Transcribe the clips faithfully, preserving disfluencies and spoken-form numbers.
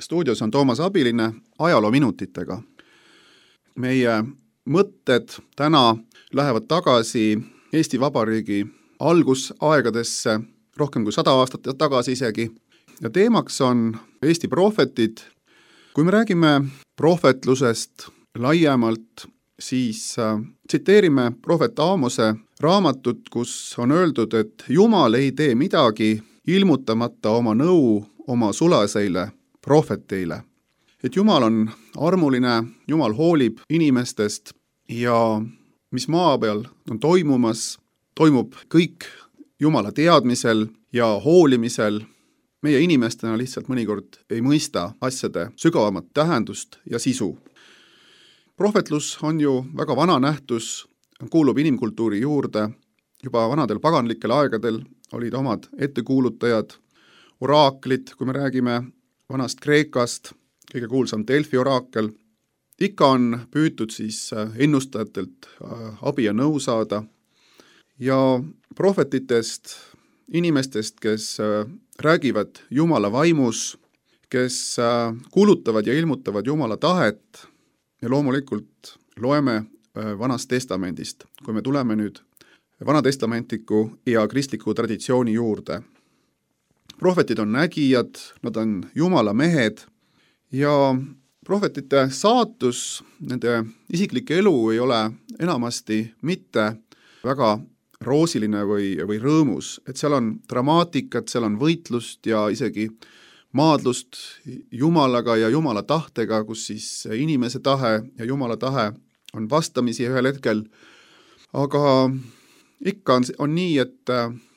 stuudios on Toomas Abiline ajaloominutitega. Meie mõtted täna lähevad tagasi Eesti Vabariigi algusaegadesse, rohkem kui sada aastat tagasi isegi. Ja teemaks on Eesti prohvetid. Kui me räägime prohvetlusest laiemalt, siis äh, tsiteerime prohvet Aamose raamatut, kus on öeldud, et Jumal ei tee midagi ilmutamata oma nõu oma sulaseile prohveteile. Et Jumal on armuline, Jumal hoolib inimestest ja mis maa peal on toimumas, toimub kõik Jumala teadmisel ja hoolimisel. Meie inimestena lihtsalt mõnikord ei mõista asjade sügavamat tähendust ja sisu. Prohvetlus on ju väga vana nähtus, kuulub inimkultuuri juurde. Juba vanadel paganlikel aegadel olid omad ettekuulutajad, oraaklid, kui me räägime vanast Kreekast, kõige kuulsam Delfi oraakel. Ikka on püütud siis ennustajatelt abi ja nõu saada. Ja prohvetitest, inimestest, kes räägivad Jumala vaimus, kes kuulutavad ja ilmutavad Jumala tahet ja loomulikult loeme Vanast testamendist, kui me tuleme nüüd vanatestamentiku ja kristliku traditsiooni juurde. Prohvetid on nägijad, nad on Jumala mehed ja prohvetite saatus, nende isiklik elu ei ole enamasti mitte väga roosiline või, või rõõmus, et seal on dramaatikat, seal on võitlust ja isegi maadlust Jumalaga ja Jumala tahtega, kus siis inimese tahe ja Jumala tahe on vastamisi ühel hetkel. Aga ikka on, on nii, et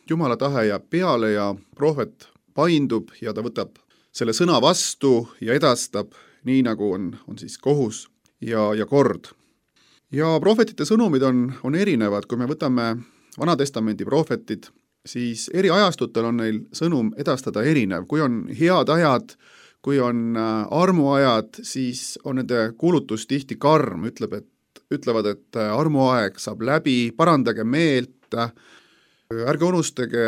Jumala tahe jääb peale ja prohvet paindub ja ta võtab selle sõna vastu ja edastab nii, nagu on, on siis kohus ja, ja kord. Ja prohvetite sõnumid on, on erinevad, kui me võtame Vanatestamendi prohvetid, siis eri ajastutel on neil sõnum edastada erinev. Kui on head ajad, kui on armuajad, siis on nende kuulutus tihti karm, ütleb, et, ütlevad, et armuaeg saab läbi, parandage meelt, ärge unustage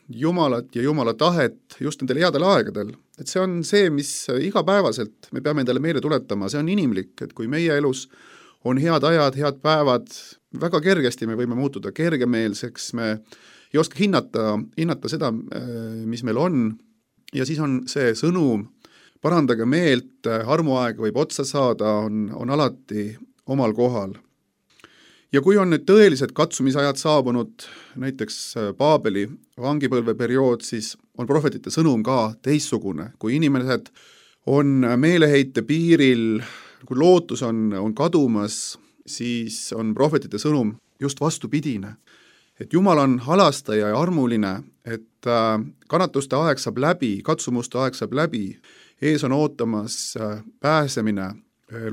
Jumalat ja Jumala tahet just nendel headel aegadel. Et see on see, mis igapäevaselt me peame endale meelde tuletama, see on inimlik, et kui meie elus on head ajad, head päevad, väga kergesti me võime muutuda kergemeelseks, me ei oska hinnata, hinnata seda, mis meil on, ja siis on see sõnum, parandage meelt, armuaeg võib otsa saada, on, on alati omal kohal. Ja kui on nüüd tõelised katsumisajad saabunud, näiteks Paabeli vangipõlve periood, siis on prohvetite sõnum ka teissugune. Kui inimesed on meeleheite piiril, kui lootus on, on kadumas, siis on prohvetite sõnum just vastupidine. Et Jumal on halastaja ja armuline, et kannatuste aeg saab läbi, katsumuste aeg saab läbi, ees on ootamas pääsemine,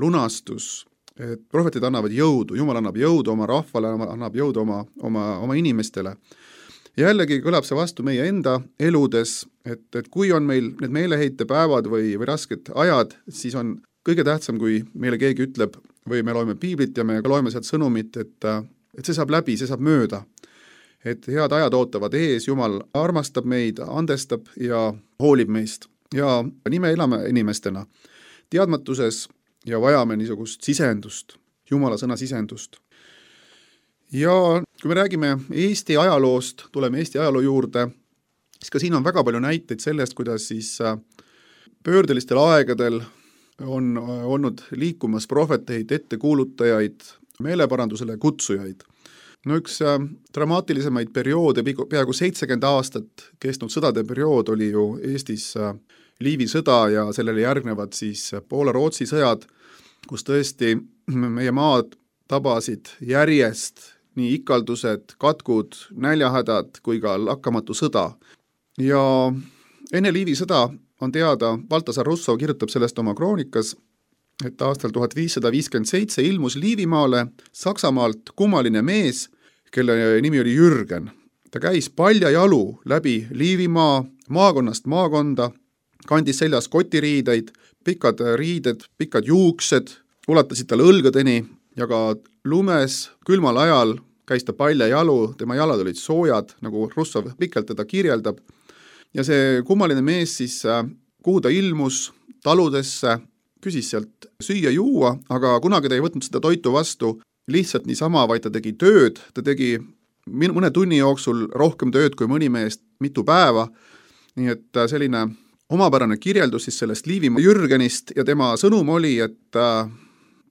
lunastus, et prohvetid annavad jõudu, Jumal annab jõudu oma rahvale, annab jõudu oma, oma, oma inimestele. Ja jällegi kõlab see vastu meie enda eludes, et, et kui on meil need meeleheite päevad või, või rasked ajad, siis on kõige tähtsam, kui meile keegi ütleb või me loeme piiblit ja me loeme sealt sõnumit, et, et see saab läbi, see saab mööda. Et head ajad ootavad ees, Jumal armastab meid, andestab ja hoolib meist. Ja nii me elame inimestena teadmatuses ja vajame niisugust sisendust, Jumala sõna sisendust. Ja kui me räägime Eesti ajaloost, tuleme Eesti ajaloo juurde, siis ka siin on väga palju näiteid sellest, kuidas siis pöördelistel aegadel on olnud liikumas prohveteid, ettekuulutajaid, meeleparandusele kutsujaid. No üks dramaatilisemaid perioode, peaaegu seitsekümmend aastat kestnud sõdade periood oli ju Eestis Liivi sõda ja sellele järgnevad siis Poola-Rootsi sõjad, kus tõesti meie maad tabasid järjest nii ikaldused, katkud, näljahädad kui ka lakkamatu sõda. Ja enne Liivi sõda on teada, Baltasar Russo kirjutab sellest oma kroonikas, et aastal tuhat viissada viiskümmend seitse ilmus Liivimaale Saksamaalt kummaline mees, kelle nimi oli Jürgen. Ta käis paljajalu läbi Liivimaa, maakonnast maakonda, kandis seljas kotiriideid, pikad riided, pikad juuksed, ulatasid talle õlgadeni ja ka lumes külmal ajal käis ta paljajalu, tema jalad olid soojad, nagu Russov pikalt teda kirjeldab. Ja see kummaline mees siis kuhu ta ilmus, taludesse, küsis sealt süüa-juua, aga kunagi ta ei võtnud seda toitu vastu lihtsalt niisama, vaid ta tegi tööd, ta tegi mõne tunni jooksul rohkem tööd kui mõni meest mitu päeva, nii et selline omapärane kirjeldus siis sellest Liivimaa Jürgenist ja tema sõnum oli, et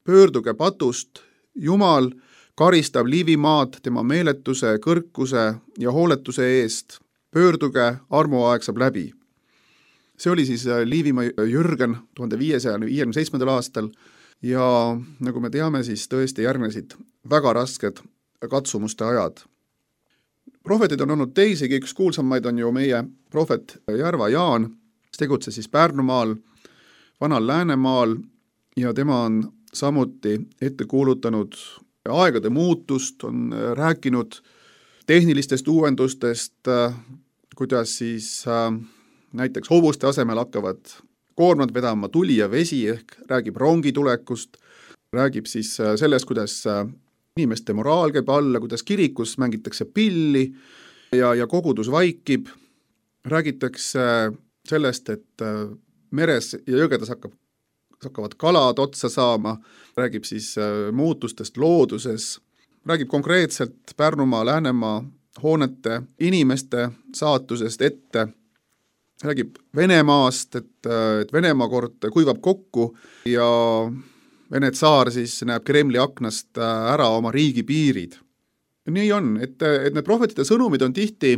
pöörduge patust, Jumal karistab Liivimaad tema meeletuse, kõrkuse ja hooletuse eest, pöörduge, armuaeg saab läbi. See oli siis Liivimaa Jürgen tuhande viiesaja viiekümne seitsmendal aastal ja nagu me teame, siis tõesti järgnesid väga rasked katsumuste ajad. Prohvetid on olnud teisigi, üks kuulsamaid on ju meie prohvet Järva Jaan, kes tegutses siis Pärnumaal, Vanal Läänemaal ja tema on samuti ette kuulutanud aegade muutust, on rääkinud tehnilistest uuendustest, kuidas siis näiteks hobuste asemel hakkavad koormad vedama tuli ja vesi ehk räägib rongi tulekust, räägib siis sellest, kuidas inimeste moraal käib alla, kuidas kirikus mängitakse pilli ja, ja kogudus vaikib, räägitakse sellest, et meres ja jõgedes hakkab, hakkavad kalad otsa saama, räägib siis muutustest looduses, räägib konkreetselt Pärnumaa, Läänemaa hoonete inimeste saatusest ette, räägib Venemaast, et, et Venemaa kord kuivab kokku ja Vene tsaar siis näeb Kremli aknast ära oma riigi piirid. Nii on, et, et need prohvetite sõnumid on tihti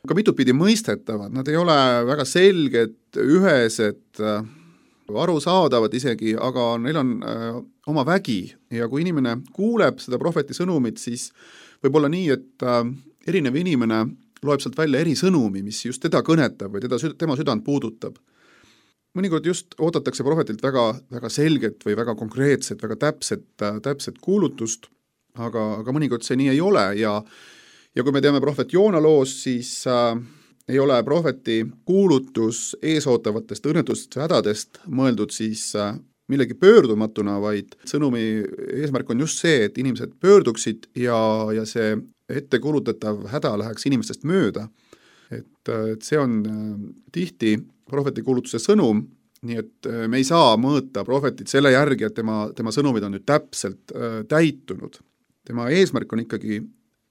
ka mitutpidi mõistetavad, nad ei ole väga selged, ühesed, arusaadavad isegi, aga neil on äh, oma vägi ja kui inimene kuuleb seda prohveti sõnumit, siis võib olla nii, et äh, erinev inimene loeb sealt välja eri sõnumi, mis just teda kõnetab või teda, tema südant puudutab. Mõnikord just oodatakse prohvetilt väga, väga selget või väga konkreetset, väga täpset, täpset kuulutust, aga, aga mõnikord see nii ei ole ja, ja kui me teame prohvet Joona loos, siis äh, ei ole prohveti kuulutus eesootavatest õnnetustest ja hädadest mõeldud siis äh, millegi pöördumatuna, vaid sõnumi eesmärk on just see, et inimesed pöörduksid ja, ja see ette kuulutatav häda läheks inimestest mööda. Et, et see on äh, tihti prohveti kuulutuse sõnum, nii et me ei saa mõõta prohvetit selle järgi, et tema, tema sõnumid on nüüd täpselt äh, täitunud. Tema eesmärk on ikkagi,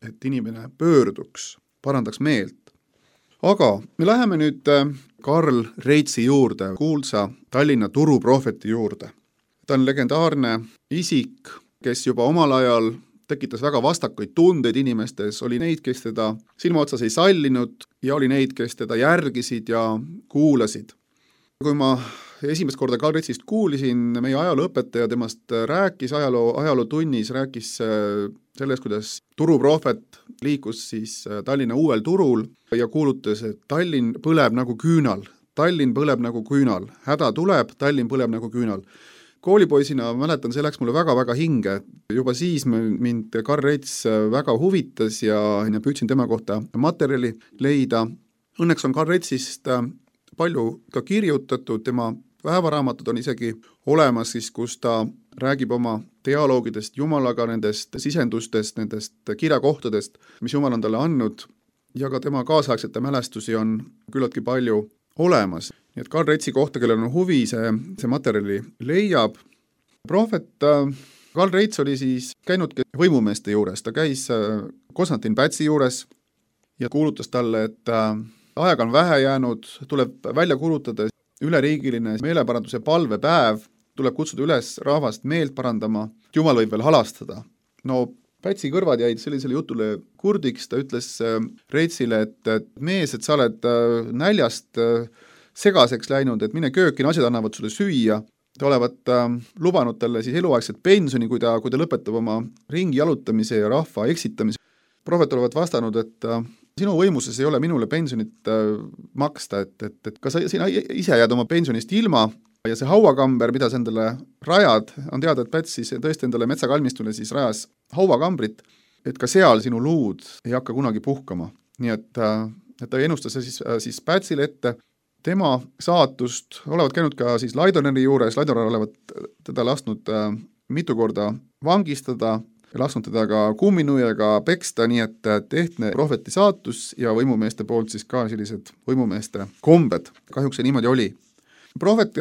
et inimene pöörduks, parandaks meelt. Aga me läheme nüüd äh, Karl Reitsi juurde, kuulsa Tallinna turuprohveti juurde. Ta on legendaarne isik, kes juba omal ajal tekitas väga vastakuid tundeid inimestes, oli neid, kes teda silma otsas ei sallinud ja oli neid, kes teda järgisid ja kuulasid. Kui ma esimest korda Karl Reitsist kuulisin, meie ajalooõpetaja temast rääkis, ajaloo, ajaloo tunnis rääkis sellest, kuidas turuprohvet liikus siis Tallinna uuel turul ja kuulutas, et Tallinn põleb nagu küünal, Tallinn põleb nagu küünal, häda tuleb, Tallinn põleb nagu küünal. Koolipoisina mäletan, see läks mulle väga-väga hinge. Juba siis mind Karl Reits väga huvitas ja püüdsin tema kohta materjali leida. Õnneks on Karl Reitsist palju ka kirjutatud, tema päevaraamatud on isegi olemas, siis, kus ta räägib oma dialoogidest Jumalaga, nendest sisendustest, nendest kirjakohtadest, mis Jumal on talle andnud ja ka tema kaasaegsete mälestusi on küllaltki palju olemas. Nii et Karl Reitsi kohta, kellel on huvi, see, see materjali leiab. Prohvet Karl Reits oli siis käinud võimumeeste juures, ta käis Konstantin Pätsi juures ja kuulutas talle, et aega on vähe jäänud, tuleb välja kuulutada üleriigiline meeleparanduse palvepäev, tuleb kutsuda üles rahvast meelt parandama, Jumal võib veel halastada. No Pätsi kõrvad jäid sellisele jutule kurdiks, ta ütles Reitsile, et, et mees, et sa oled näljast segaseks läinud, et mine kööki, naised annavad sulle süüa. Te olevat äh, lubanud talle siis eluaegset pensioni, kui ta, kui ta lõpetab oma ringi jalutamise ja rahva eksitamise. Prohvet olevat vastanud, et äh, sinu võimuses ei ole minule pensionit äh, maksta, et, et, et kas sa sina ise jääd oma pensionist ilma ja see hauakamber, mida sa endale rajad, on teada, et Päts siis tõesti endale metsakalmistule siis rajas hauakambrit, et ka seal sinu luud ei hakka kunagi puhkama. Nii et, äh, et ta ennustas siis, äh, siis Pätsile ette, tema saatust olevat käinud ka siis Laidoneri juures, Laidoner olevat teda lasknud äh, mitu korda vangistada ja lasknud teda ka kumminuiaga peksta, nii et tehtne prohveti saatus ja võimumeeste poolt siis ka sellised võimumeeste kombed. Kahjuks see niimoodi oli. Prohvet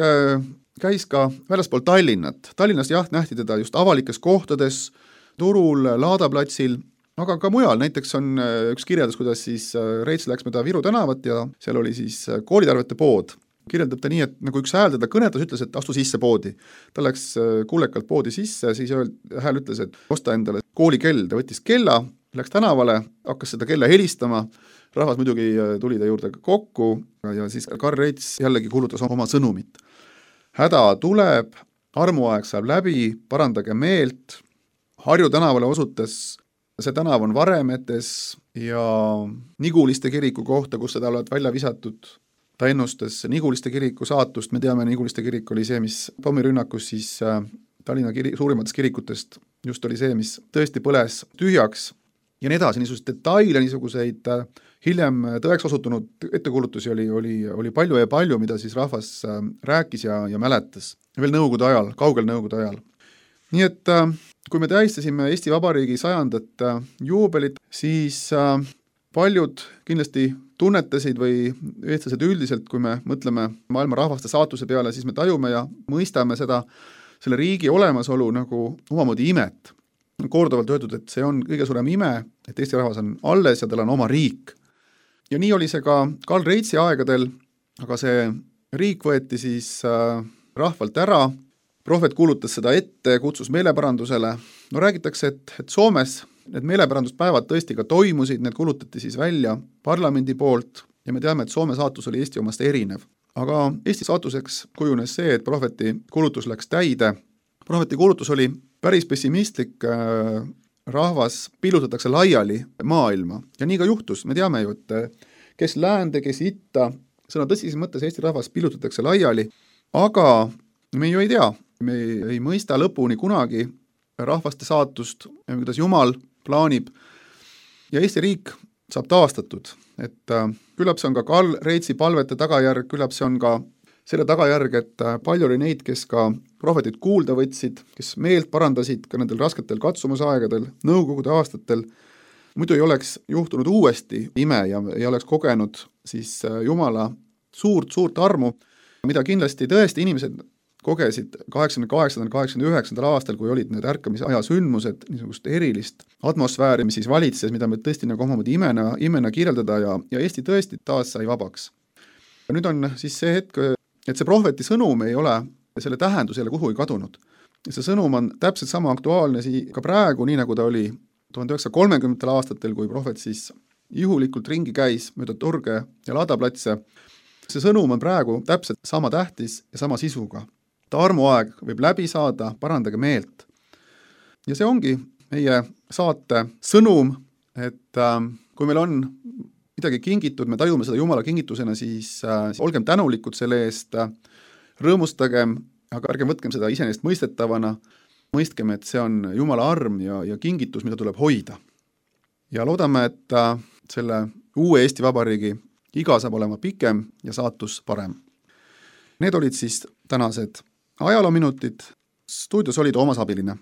käis ka väljaspool Tallinnat. Tallinnas jah, nähti teda just avalikes kohtades, turul, Laadaplatsil, aga ka mujal. Näiteks on üks kirjeldas, kuidas siis Reits läks mööda Viru tänavat ja seal oli siis koolitarvete pood. Kirjeldab ta nii, et nagu üks hääl teda kõnetas, ütles, et astu sisse poodi. Ta läks kuulekalt poodi sisse, siis hääl ütles, et osta endale koolikell. Ta võttis kella, läks tänavale, hakkas seda kella helistama, rahvas muidugi tuli ta juurde kokku ja siis Karl Reits jällegi kuulutas oma sõnumit. Häda tuleb, armuaeg saab läbi, parandage meelt. Harju tänavale osutas, see tänav on Varemetes ja Niguliste kiriku kohta, kus seda olevat välja visatud. Ta ennustas Niguliste kiriku saatust, me teame, Niguliste kirik oli see, mis pommirünnakus siis Tallinna kiri, suurimatest kirikutest just oli see, mis tõesti põles tühjaks ja nii edasi, niisuguseid detaile, niisuguseid hiljem tõeks osutunud ettekuulutusi oli, oli, oli palju ja palju, mida siis rahvas rääkis ja, ja mäletas. Veel nõukogude ajal, kaugel nõukogude ajal. Nii et kui me tähistasime Eesti Vabariigi sajandat juubelit, siis paljud kindlasti tunnetasid või eestlased üldiselt, kui me mõtleme maailma rahvaste saatuse peale, siis me tajume ja mõistame seda, selle riigi olemasolu nagu omamoodi imet. Korduvalt öeldud, et see on kõige suurem ime, et Eesti rahvas on alles ja tal on oma riik. Ja nii oli see ka Karl Reitsi aegadel, aga see riik võeti siis rahvalt ära, prohvet kuulutas seda ette, kutsus meeleparandusele. No räägitakse, et, et Soomes need meeleparanduspäevad tõesti ka toimusid, need kulutati siis välja parlamendi poolt ja me teame, et Soome saatus oli Eesti omast erinev. Aga Eesti saatuseks kujunes see, et prohveti kuulutus läks täide. Prohveti kuulutus oli päris pessimistlik, rahvas pillutatakse laiali maailma ja nii ka juhtus. Me teame ju, et kes läände, kes itta, sõna tõsises mõttes Eesti rahvas pillutatakse laiali, aga me ju ei tea, me ei, ei mõista lõpuni kunagi rahvaste saatust, kuidas Jumal plaanib ja Eesti riik saab taastatud, et küllap see on ka Karl Reitsi palvete tagajärg, küllap see on ka selle tagajärg, et palju oli neid, kes ka prohvetit kuulda võtsid, kes meelt parandasid ka nendel rasketel katsumusaegadel, nõukogude aastatel, muidu ei oleks juhtunud uuesti ime ja ei oleks kogenud siis Jumala suurt, suurt armu, mida kindlasti tõesti inimesed kogesid kaheksakümne kaheksandal, kaheksakümne üheksandal aastal, kui olid need ärkamise aja sündmused, niisugust erilist atmosfääri, mis siis valitses, mida me tõesti nagu omamoodi imena, imena kirjeldada ja, ja Eesti tõesti taas sai vabaks. Ja nüüd on siis see hetk, et see prohveti sõnum ei ole, selle tähendus ei ole kuhugi kadunud. Ja see sõnum on täpselt sama aktuaalne ka praegu, nii nagu ta oli tuhande üheksasaja kolmekümnendatel aastatel, kui prohvet siis juhulikult ringi käis mööda turge ja Laadaplatse. See sõnum on praegu täpselt sama tähtis ja sama sisuga. Ta armuaeg võib läbi saada, parandage meelt. Ja see ongi meie saate sõnum, et äh, kui meil on midagi kingitud, me tajume seda Jumala kingitusena, siis äh, olgem tänulikud selle eest, äh, rõõmustagem, aga ärgem võtkem seda iseenesest mõistetavana, mõistkem, et see on Jumala arm ja, ja kingitus, mida tuleb hoida. Ja loodame, et äh, selle uue Eesti Vabariigi iga saab olema pikem ja saatus parem. Need olid siis tänased ajaloominutid. Stuudios oli Toomas Abiline.